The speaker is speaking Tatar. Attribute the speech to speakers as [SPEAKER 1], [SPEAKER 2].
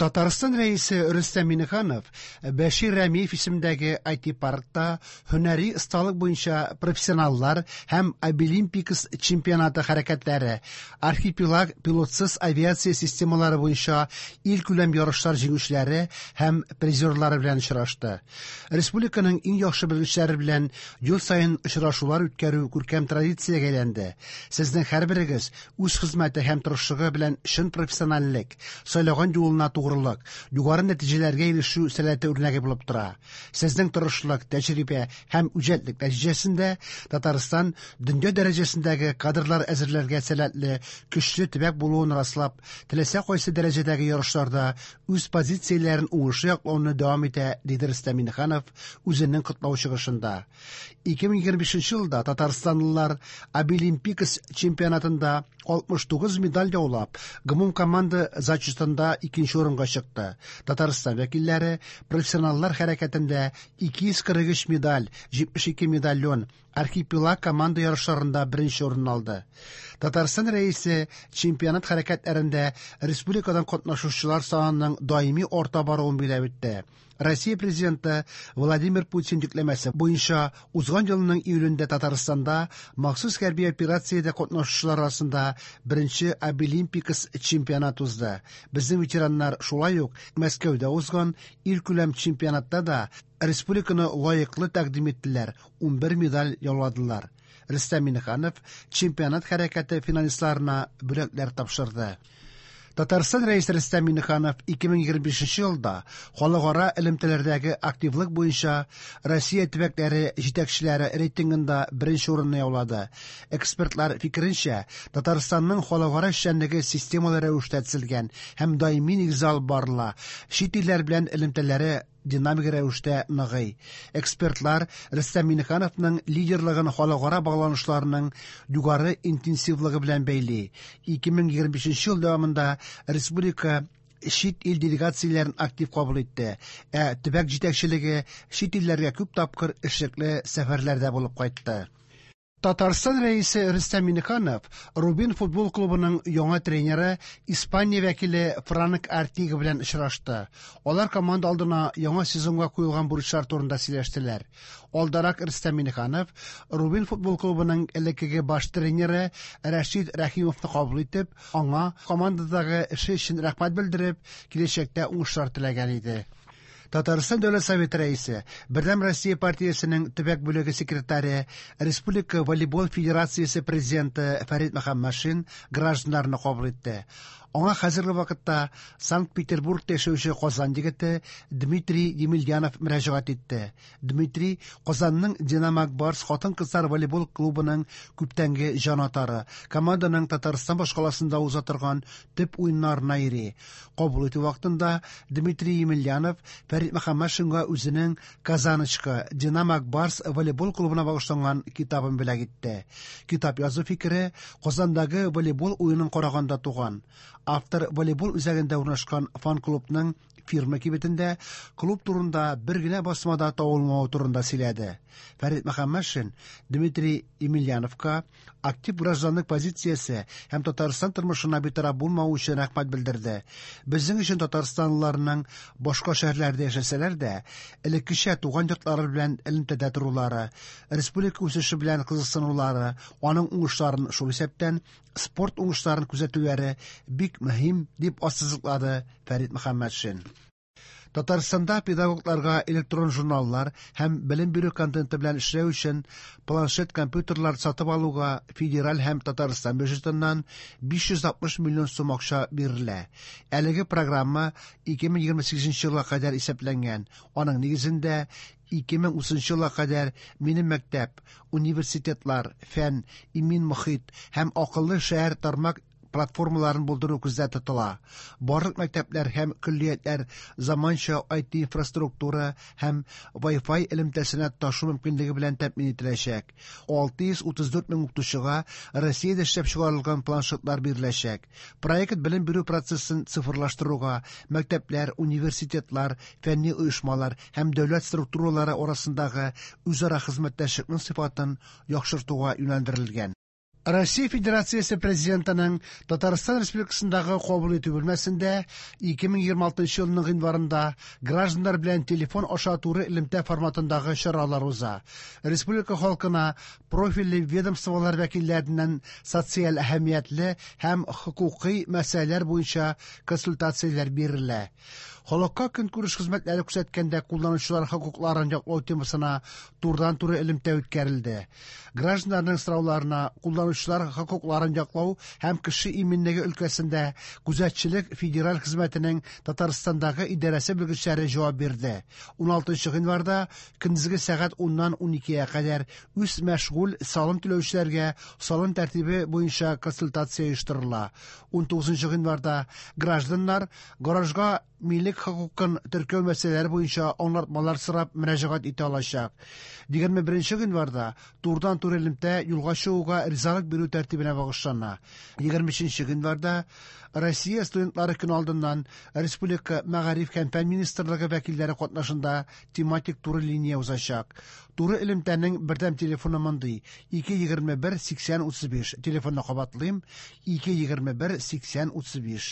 [SPEAKER 1] Татарстан Рәисе Рөстәм Миңнеханов Бәшир Рәмиев исемендәге IT-паркта һөнәри осталык буенча профессионаллар һәм Абилимпикс чемпионаты хәрәкәтләре, Архипелаг пилотсыз авиация системалары буенча илкүләм ярышлар җиңүчеләре һәм призерлары белән очрашты. Республиканың иң яхшы белгечләре белән ел саен очрашулар үткәрү күркәм традициягә әйләнде. Сезнең һәрберегез үз хезмәте һәм тырышлыгы белән чын профессиональлек, сайлаган юлына тугрылык, югары нәтиҗәләргә ирешү сәләте үрнәге булып тора. Сезнең тырышлык, тәҗрибә һәм үҗәтлек нәтиҗәсендә Татарстан дөнья дәрәҗәсендәге кадрлар әзерләргә сәләтле көчле төбәк булуын раслап, теләсә кайсы дәрәҗәдәге ярышларда үз позицияләрен уңышлы яклауны дәвам итә, диде Рөстәм Миңнеханов үзенең котлау чыгышында. 2025 елда татарстанлылар Абилимпикс чемпионатында 69 медаль яулап, гомумкоманда зачетында икенче урынга чыкты. Татарстан вәкилләре профессионаллар хәрәкәтендә 243 медаль, 72 медальон, Архипелаг команда ярышларында беренче урын алды. Татарстан Рәисе чемпионат хәрәкәтләрендә республикадан катнашучылар санының даими арта баруын билгеләп үтте. Россия Президенты Владимир Путин йөкләмәсе буенча узган елның июлендә Татарстанда махсус хәрби операциядә катнашучылар арасында беренче Абилимпикс чемпионат узды. Безнең ветераннар шулай ук Мәскәүдә узган илкүләм чемпионатта да республиканы лаеклы тәкъдим иттеләр, 11 медаль яуладылар. Рөстәм Миңнеханов чемпионат хәрәкәте финалистларына бүләкләр тапшырды. Татарстан Рәисе Рөстәм Миңнеханов 2025 елда халыкара элемтәләрдәге активлык буенча Россия төбәкләре җитәкчеләре рейтингында беренче урынны яулады. Экспертлар фикеренчә, Татарстанның халыкара эшчәнлеге системалы рәвештә төзелгән һәм даими нигездә алып барыла. Чит илләр белән элемтәләре динамик рәвештә ныгый. Экспертлар Рөстәм Миңнехановның лидерлыгын халыкара багланышларының югары интенсивлыгы белән бәйли. 2025 ел дәвамында республика чит ил делегацияләрен актив кабул итте, ә төбәк җитәкчелеге чит илләргә күп тапкыр эшлекле сәфәрләрдә булып кайтты. Татарстан Рәисе Рөстәм Миңнеханов Рубин футбол клубының яңа тренеры Испания вәкиле Франк Артига белән очрашты. Алар команда алдына яңа сезонга куелган бурычлар турында сөйләштеләр. Алдарак Рөстәм Миңнеханов Рубин футбол клубының элеккеге баш тренеры Рәшид Рәхимовны кабул итеп, аңа командадагы эше өчен рәхмәт белдереп, киләчәктә уңышлар теләгән иде. Татарстан Дәүләт Советы Рәисе, Бердәм Россия партиясенең төбәк бүлеге секретаре, Республика волейбол федерациясе президенты Фәрит Мөхәммәтшин гражданнарны кабул итте. Аңа хәзерге вакытта Санкт-Петербургта яшәүче Казан егете Дмитрий Емельянов мөрәҗәгать итте. Дмитрий Казанның Динамо Барс хатын-кызлар волейбол клубының күптәнге җанатары, команданың Татарстан башкаласында уза торган төп уеннарына йөри. Кабул итү вакытында Дмитрий Емельянов Фәрит Мөхәммәтшинга үзенең Казаночка Динамо Барс волейбол клубына багышланган китабын бүләк итте. Китап язу фикере Казандагы волейбол уенын караганда туган. Автор волейбол үзәгендә урнашкан фан-клубның фирма кибетендә клуб турында бер генә басма да табылмавы турында сөйләде. Фәрит Мөхәммәтшин Дмитрий Емельяновка актив гражданлык позициясе һәм Татарстан тормышына битараф булмавы өчен рәхмәт белдерде. Безнең өчен татарстанлыларның башка шәһәрләрдә яшәсәләр дә, элеккечә туган йортлары белән элемтәдә торулары, республика үсеше белән кызыксынулары, аның уңышларын, шул исәптән спорт уңышларын күзәтүләре бик мөһим, дип ассызыклады Фәрит Мөхәммәтшин. Татарстанда педагогларга электрон журналлар һәм белем бирү контенты белән эшләү өчен планшет компьютерлар сатып алуга федераль һәм Татарстан бюджетыннан 560 миллион сум акча бирелә. Әлеге программа 2028 елга кадәр исәпләнгән. Аның нигезендә 2030 елга кадәр Минем мәктәп, университетлар, фән, имин мохит һәм акыллы шәһәр тармак платформаларын булдыру күздә тотыла. Барлык мәктәпләр һәм көллиятләр заманча IT-инфраструктура һәм Wi-Fi элемтәсенә тоташу мөмкинлеге белән тәэмин ителәчәк. 634 мең укытучыга Россиядә эшләп чыгарылган планшетлар биреләчәк. Проект белем бирү процессын цифрлаштыруга, мәктәпләр, университетлар, фәнни оешмалар һәм дәүләт структуралары арасындагы үзара хезмәттәшлекнең сыйфатын яхшыртуга юнәлдерелгән. Россия Федерациясе Президентының Татарстан Республикасындагы кабул итү бүлмәсендә 2026 елның гыйнварында гражданнар белән телефон аша туры элемтә форматындагы чаралар уза. Республика халкына профильле ведомстволар вәкилләреннән социаль әһәмиятле һәм хокукый мәсьәләләр буенча консультацияләр бирелә. Халыкка көнкүреш хезмәтләре күрсәткәндә кулланучылар хокукларын яклау темасына турыдан-туры элемтә үткәрелде. Гражданнарның сорауларына кулланучылар хокукларын яклау һәм кеше иминлеге өлкәсендә күзәтчелек федераль хезмәтенең Татарстандагы идарәсе белгечләре җавап бирде. 16 гыйнварда көндезге сәгать 10-нан 12-гә кадәр үз мәшгуль салым түләүчеләргә салым тәртибе буенча консультация оештырыла. 19 гыйнварда гражданнар гаражга милек хокукын теркәү мәсьәләләре буенча аңлатмалар сорап мөрәҗәгать итә алачак. 21 гыйнварда турыдан-туры элемтә юлга чыгуга ризалык бирү тәртибенә багышлана. 23 гыйнварда Россия студентлары көне алдыннан Республика мәгариф һәм фән министрлыгы вәкилләре катнашында тематик туры линия узачак. Туры элемтәнең бердәм телефоны мондый: 221 80 35. Телефонны кабатлыйм: 221 80 35.